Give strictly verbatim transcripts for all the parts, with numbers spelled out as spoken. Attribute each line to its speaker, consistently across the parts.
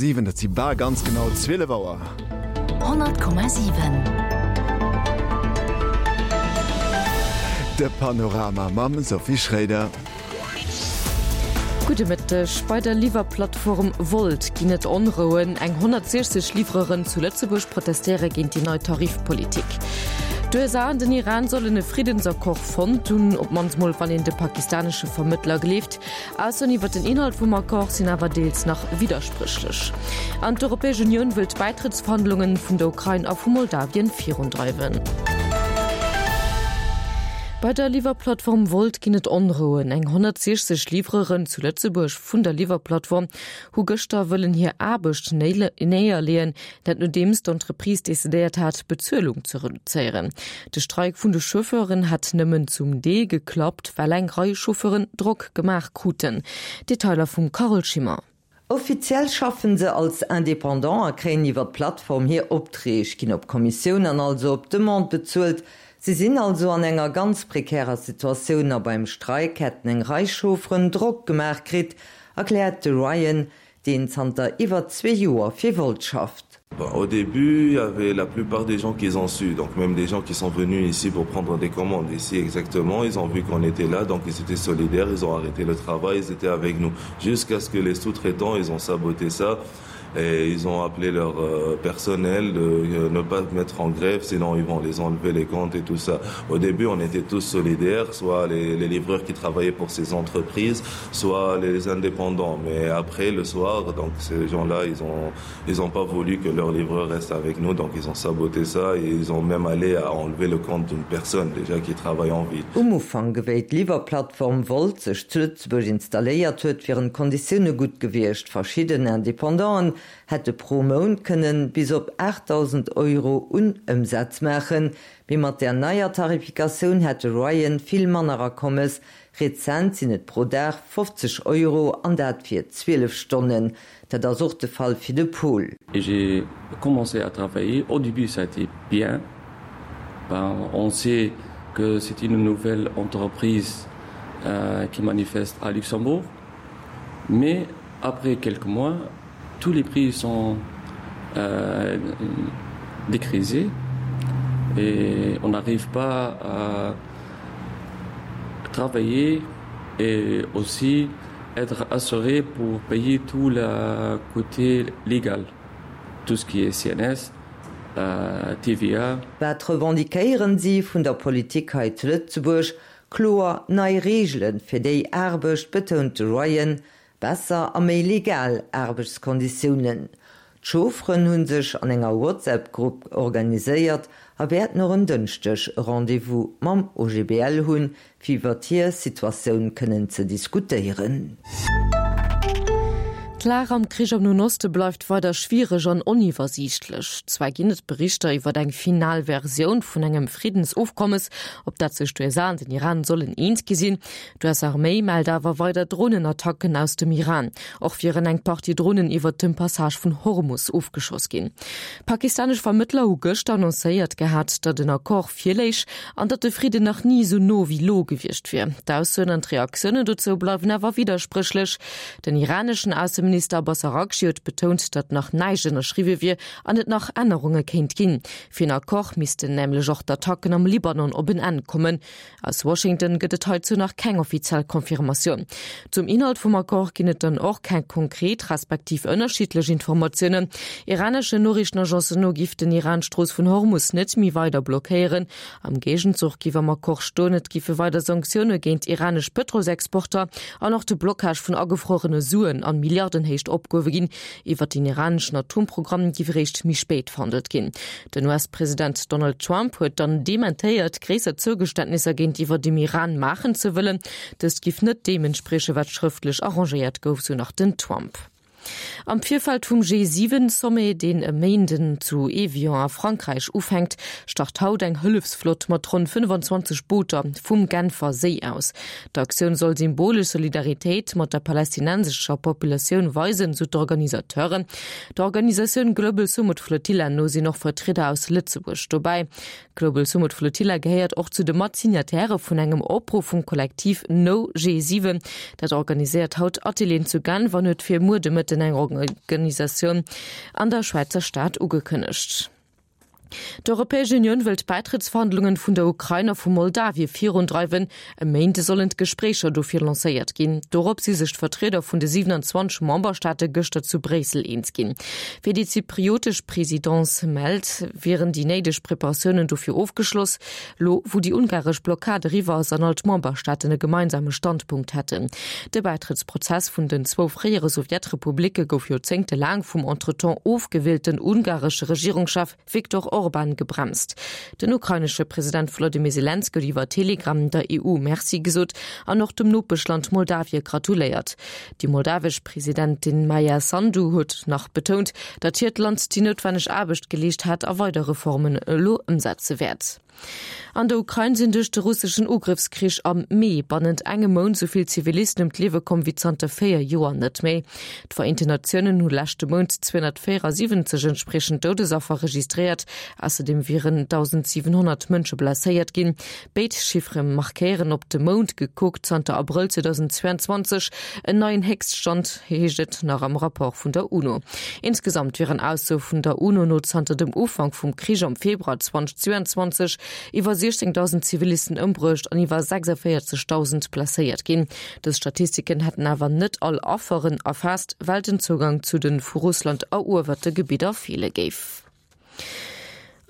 Speaker 1: siwen, dat si bal ganz genau zwielef Auer.
Speaker 2: Honnert Komma siwen.
Speaker 1: De Panorama mam Sophie Schréider.
Speaker 3: Gudde Mëtteg. Bei der Liwwerplattform Wolt ginn et Onrouen. Eng honnertsiechzeg Livreuren zu Lëtzebuerg protestéiere géint déi nei Tarifpolitik. D'USA an den Iran sollen e Friddensaccord fonnt hunn, op d'mannst mol wann een de pakistanesche Vermëttler gleeft. Aussoen iwwer den Inhalt vum Accord sinn awer deels nach widderspréchlech. An d'Europäesch Unioun wëll d'Bäitrëttsverhandlungen vun der Ukrain a vu Moldawien virundreiwen. Bei der Liwwerplattform Wolt ginn et Onrouen. Eng honnertsiechzeg Livreuren zu Lëtzebuerg vun der Liwwerplattform hu gëschter wëllen hir Aarbecht néierleeën, dat nodeems d'Entreprise decidéiert hat, d'Bezuelung ze reduzéieren. De Streik vun de Chauffeuren hätt nëmmen zum Deel geklappt, well eng Rei Chauffeuren Drock gemaach kruten. Detailer vum Carole Schimmer.
Speaker 4: Offiziell schaffen se als Indépendant a kréien iwwer d'Plattform hir Opträg, ginn op Kommissioun an also op Demande bezuelt. Si sinn also an enger ganz prekärer Situatioun a beim Streik hätten eng Rei Chaufferen Drock gemaach kritt, erkläert de Ryan, deen zanter iwwer zwee Joer fir Wolt schafft.
Speaker 5: Au début, il y avait la plupart des gens qui ont su, donc même des gens qui sont venus ici pour prendre des commandes ici exactement, ils ont vu qu'on était là, donc ils étaient solidaires, ils ont arrêté le travail, ils étaient avec nous, jusqu'à ce que les sous-traitants, ils ont saboté ça et ils ont appelé leur euh, personnel de euh, ne pas mettre en grève, sinon ils vont les enlever les comptes et tout ça. Au début, on était tous solidaires, soit les, les livreurs qui travaillaient pour ces entreprises, soit les indépendants. Mais après, le soir, donc ces gens-là, ils ont, ils ont pas voulu que leurs livreurs restent avec nous, donc ils ont saboté ça et ils ont même allé à enlever le compte d'une personne déjà qui travaille en ville.
Speaker 4: Um Ufank, wéi d'Liwwerplattform Wolt sech zu Lëtzebuerg installéiert huet, wieren d'Konditioune gutt gewiescht. Verschidden Independanten hätte pro Mount kënnen bis op aachtdausend Euro un Ëmsaz maachen, mee mat der neier Tarifikatioun hätt de Ryan vill manner Akommes. Rezent sinn et pro Dag fofzeg Euro an dat fir zwielef Stonnen. Dat ass och de Fall fir de Paul.
Speaker 6: Et j'ai commencé à travailler. Au début, ça a été bien. Ben, on sait que c'est une nouvelle entreprise euh, qui manifeste à Luxembourg. Mais après quelques mois, tous les prix sont euh, décrisés et on n'arrive pas à travailler et aussi être assuré pour payer tout le côté légal, tout ce qui est C N S, euh, T V A.
Speaker 4: Wat revendiquéieren si vun der Politik hei zu Lëtzebuerg? Kloer nei Reegele fir déi Aarbecht, betount de Ryan, besser a méi legal Aarbechtskonditiounen. D'Chaufferen hu sech an enger WhatsApp-Grupp organiséiert a wäerten och en Dënschdeg e Rendez-vous mam O G B L hunn, fir iwwer hir Situatioun kënnen ze diskutéieren.
Speaker 3: D'Lag am Krich am Noen Oste bleift weider schwiereg an oniwwersiichtlech. Zwar ginn et Berichter iwwer eng final Versioun vun engem Friddensofkommes, op dat sech d'U S A an den Iran sollen eens gi sinn. D'U S-Arméi mellt awer weider Drohnenattacken aus dem Iran. Och wieren eng Partie Drohnen iwwer dem Passage vun Hormus ofgeschoss ginn. Pakistanesch Vermëttler hu gëschter annoncéiert gehat, datt en Accord virléich an datt de Fridden nach ni esou no wéi lo gewiescht wier. D'Aussoen an d'Reaktiounen dozou bleiwen awer widderspréchlech. Den iraneschen Ausseminister Abbas Araghchi huet betount, datt nach näischt ënnerschriwwe wier an et nach Ännerunge kéint ginn. Fir en Accord missten nämlech och d'Attacken am Libanon op en Enn kommen. Aus Washington gëtt et heizou nach keng offiziell Confirmatioun. Zum Inhalt vum Accord ginn et dann och keng konkret respektiv ënnerschiddlech Informatiounen. Iranesche Noriichtenagencen no giff den Iran d'Strooss vun Hormus net méi weider blockéieren. Am Géigenzuch giff am Accord stoen, et giffe weider Sanktioune géint iranesch Pëtrolsexporter an och de Blockage vun agefruerene Suen an Milliardenhéicht opgehuewe ginn. Iwwer den iraneschen Atomprogramm giff eréischt méi spéit verhandelt ginn. Den U S-President Donald Trump huet dann dementéiert, gréisser Zougeständnisser géintiwwer dem Iran maachen ze wëllen. Dëst giff net deem entsprieche, wat schrëftlech arrangéiert gouf, sou nach den Trump. Am Virfeld vum G siwen Sommet, deen e Méinden zu Evian a Frankräich ufänkt, start haut eng Hëllefsflott mat ronn fënnwandzwanzeg Booter vum Genfer Séi aus. D'Aktioun soll symbolesch Solidaritéit mat der palästinensescher Populatioun weisen, sou d'Organisateuren. D'Organisatioun Global Sumud Flotilla no sinn och Vertrieder aus Lëtzebuerg dobäi. Global Sumud Flotilla gehéiert och zu de Matsignataire vun engem Opruff vum Kollektiv No G siwen. Dat organiséiert haut Atelieren zu Genf an huet fir muer de Mëtten haten eng Organisatioun an der Schwäizer Stad ugekënnegt. D'Europäesch Unioun wëllt d'Bäitrëttsverhandlungen vun der Ukrain a vu Moldawie virundreiwen. E Méinde sollen d'Gespréicher dofir lancéiert ginn. Dorop si sech d'Vertrieder vun de siewenundzwanzeg Memberstaate gëschter zu Bréissel eens ginn. Wéi déi zypriotesch Presidence mellt, wieren déi néideg Preparatiounen dofir ofgeschloss, lo wou déi ungaresch Blockad eriwwer ass an all d'Memberstaaten e gemeinsame Standpunkt hätten. De Bäitrëttsprozess vun den zwou fréiere Sowjetrepublicke gouf joerzéngtelaang vum entretemps ofgewielten ungaresche Regierungschef Viktor Orban gebremst. Den ukrainesche President Volodymyr Selenskyj huet iwwer Telegram der E U Merci gesot an och dem Nopeschland Moldawie gratuléiert. Déi moldawesch Presidentin Maia Sandu huet nach betount, datt hiert Land déi noutwenneg Aarbecht geleescht hätt a weider Reformen elo ëmsetze wäert. An der Ukrain sinn duerch de russeschen Ugrëffskrich am Mee bannent engem Mount esou vill Zivilisten ëm d'Liewe komm wéi zanter véier Joer net méi. D'Vereenten Natiounen hu leschte Mount zweehonnertvéierasiwwenzeg entspriechend Doudesaffer registréiert, ausserdeem wieren dausendsiwenhonnert Mënsche blesséiert ginn. Béid Chiffere markéieren op de Mount gekuckt zanter Abrëll zweedausendzweianzwanzeg en neien Héchststand, heescht et nach am Rapport vun der UNO. Insgesamt wieren Aussoe vun der UNO no zanter dem Ufank vum Krich am Februar zweedausendzweianzwanzeg iwwer siechzéngdausend Zivilisten ëmbruecht an iwwer sechsundvéierzegdausend blesséiert ginn. Dës Statistiken hätten awer net all Afferen erfaasst, well den Zougang zu de vu Russland eruewerte Gebidder feele géif.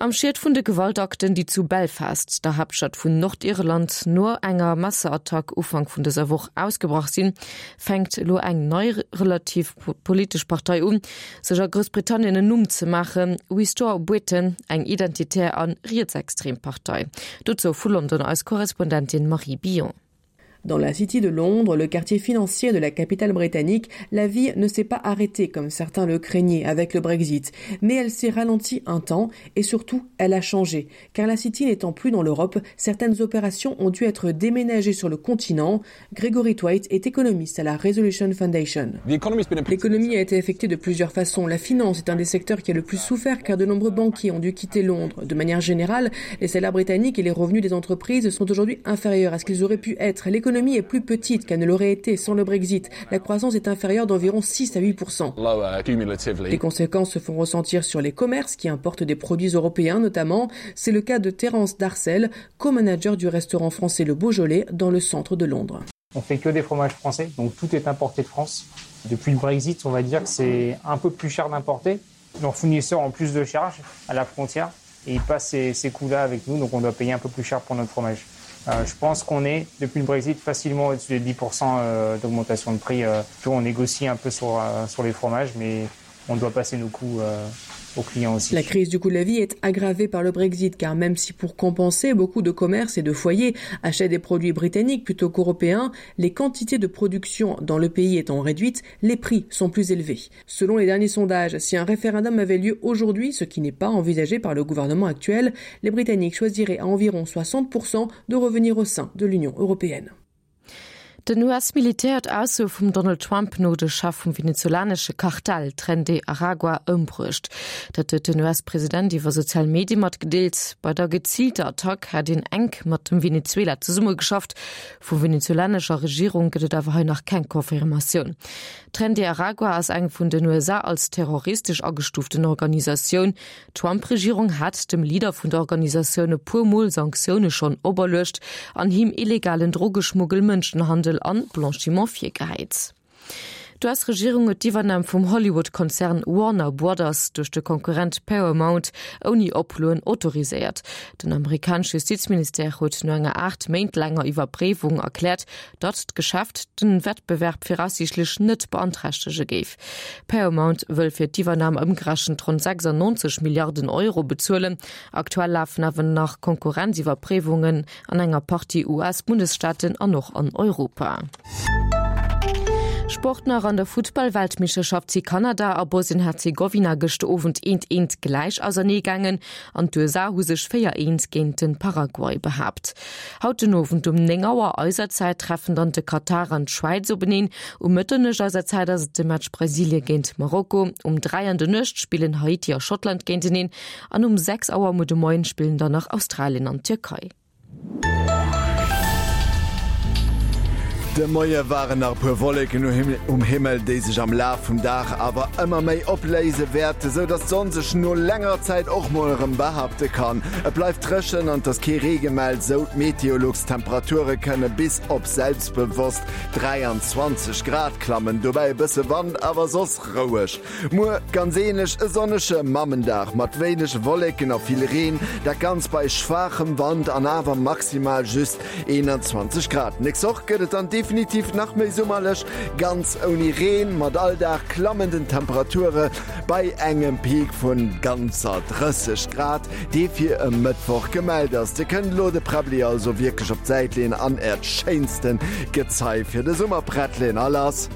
Speaker 3: Am Schiet vun de Gewaltakten, déi zu Belfast, der Haaptstad vun Nordirland, no enger Messerattack Ufank vun dëser Woch ausgebrach sinn, fänkt elo eng nei relativ politesch Partei un, sech a Groussbritannien en Numm ze maachen, Restore Britain, eng identitär a rietsextrem Partei. Dozou vu London eis Korrespondentin Marie Billon.
Speaker 7: Dans la City de Londres, le quartier financier de la capitale britannique, la vie ne s'est pas arrêtée comme certains le craignaient avec le Brexit, mais elle s'est ralentie un temps et surtout elle a changé, car la City n'étant plus dans l'Europe, certaines opérations ont dû être déménagées sur le continent. Gregory White est économiste à la Resolution Foundation. L'économie a été affectée de plusieurs façons. La finance est un des secteurs qui a le plus souffert car de nombreux banquiers ont dû quitter Londres. De manière générale, les salaires britanniques et les revenus des entreprises sont aujourd'hui inférieurs à ce qu'ils auraient pu être. L'économie est plus petite qu'elle ne l'aurait été sans le Brexit. La croissance est inférieure d'environ six à huit pour cent. Les conséquences se font ressentir sur les commerces qui importent des produits européens notamment. C'est le cas de Terence Darcel, co-manager du restaurant français Le Beaujolais dans le centre de Londres.
Speaker 8: On fait que des fromages français, donc tout est importé de France. Depuis le Brexit, on va dire que c'est un peu plus cher d'importer. Nos fournisseurs ont plus de charges à la frontière et ils passent ces, ces coûts-là avec nous, donc on doit payer un peu plus cher pour notre fromage. Euh, je pense qu'on est, depuis le Brexit, facilement au-dessus des dix pour cent euh, d'augmentation de prix. Euh, on négocie un peu sur, euh, sur les fromages, mais on doit passer nos coûts euh, aux clients aussi.
Speaker 7: La crise du coût de la vie est aggravée par le Brexit car même si pour compenser beaucoup de commerces et de foyers achètent des produits britanniques plutôt qu'européens, les quantités de production dans le pays étant réduites, les prix sont plus élevés. Selon les derniers sondages, si un référendum avait lieu aujourd'hui, ce qui n'est pas envisagé par le gouvernement actuel, les Britanniques choisiraient à environ soixante pour cent de revenir au sein de l'Union européenne.
Speaker 3: Den U S-Militär huet Ausso vum Donald Trump no de Chef vum venezolanesche Kartell Tren de Aragua ëmbruecht. Dat huet den U S-President iwwer sozial Medie matgedeelt. Bei der geziilter Attack hätt een enk mat dem Venezuela zesummegeschafft. Vu venezolanescher Regierung gëtt et awer hei nach keng Confirmatioun. Tren de Aragua ass eng vun den U S A als terroristesch agestuuften Organisatioun. D'Trump-Regierung hat dem Leader vun der Organisatioun e puer Mol Sanktioune schonn operluecht an him illegalen Drogeschmuggel, Mënschenhandel an Blanchiment virgehäit. D'U S-Regierung huet d'Iwwernam vum Hollywood-Konzern Warner Brothers duerch de Konkurrent Paramount ouni Oploen autoriséiert. Den amerikanesche Justizministère huet no enger aacht Méint laanger Iwwerpréiwung erkläert, datt d'Geschäft den Wettbewerb viraussiichtlech net beanträchtege géif. Paramount wëll fir d'Iwwernam ëmgerechent ronn sechsundneunzeg Milliarden Euro bezuelen. Aktuell lafen awer nach Konkurrenziwwerpréiwungen an enger Partie U S-Bundesstaaten an och an Europa. Sport nach. An der Futtball-Weltmeeschterschaft si Kanada a Bosnien-Herzegowina gëschter Owend eent eent gläich ausernee gaangen an d'U S A hu sech véier eent géint den Paraguay behaapt. Haut den Owend um néng Auer eiser Zäit treffen dann de Katar an d'Schwäiz openeen. Um Mëtternuecht eiser Zäit ass et de Match Brasilie géint Marokko. Um dräi an der Nuecht spillen Haiti a Schottland géinteneen an um sechs Auer muer de Moien spillen dann nach Australien an d'Tierkei.
Speaker 1: De Moie waren nach e puer Wolleken um Himmel, déi sech am Laf vum Dag awer ëmmer méi opléise wäerten, sou dass d'Sonn sech no längerer Zäit och mol erëm behaapte kann. Et bleift dréchen an et ass kee Ree gemellt, sou d'Meteolux. D'Temperature kënne bis op selbstbewosst dräianzwanzeg Grad klammen, dobäi e bësse Wand, awer soss roueg. Muer ganz änlech, e sonnege Mammendag mat wéineg Wolleken a vill Reen, dat Ganzt bei schwaachem Wand an awer maximal just eenanzwanzeg Grad. Nächst Woch gëtt et dann definitiv nach méi summerlech, ganz ouni Reen, mat all Dag klammenden Temperature bei engem Peak vun ganzer drësseg Grad, dee fir e Mëttwoch gemellt ass. Dir kënnt elo de Präbbli also wierklech op d'Säit leeën an äert schéinsten Gezei fir de Summer prett leeën. A lass!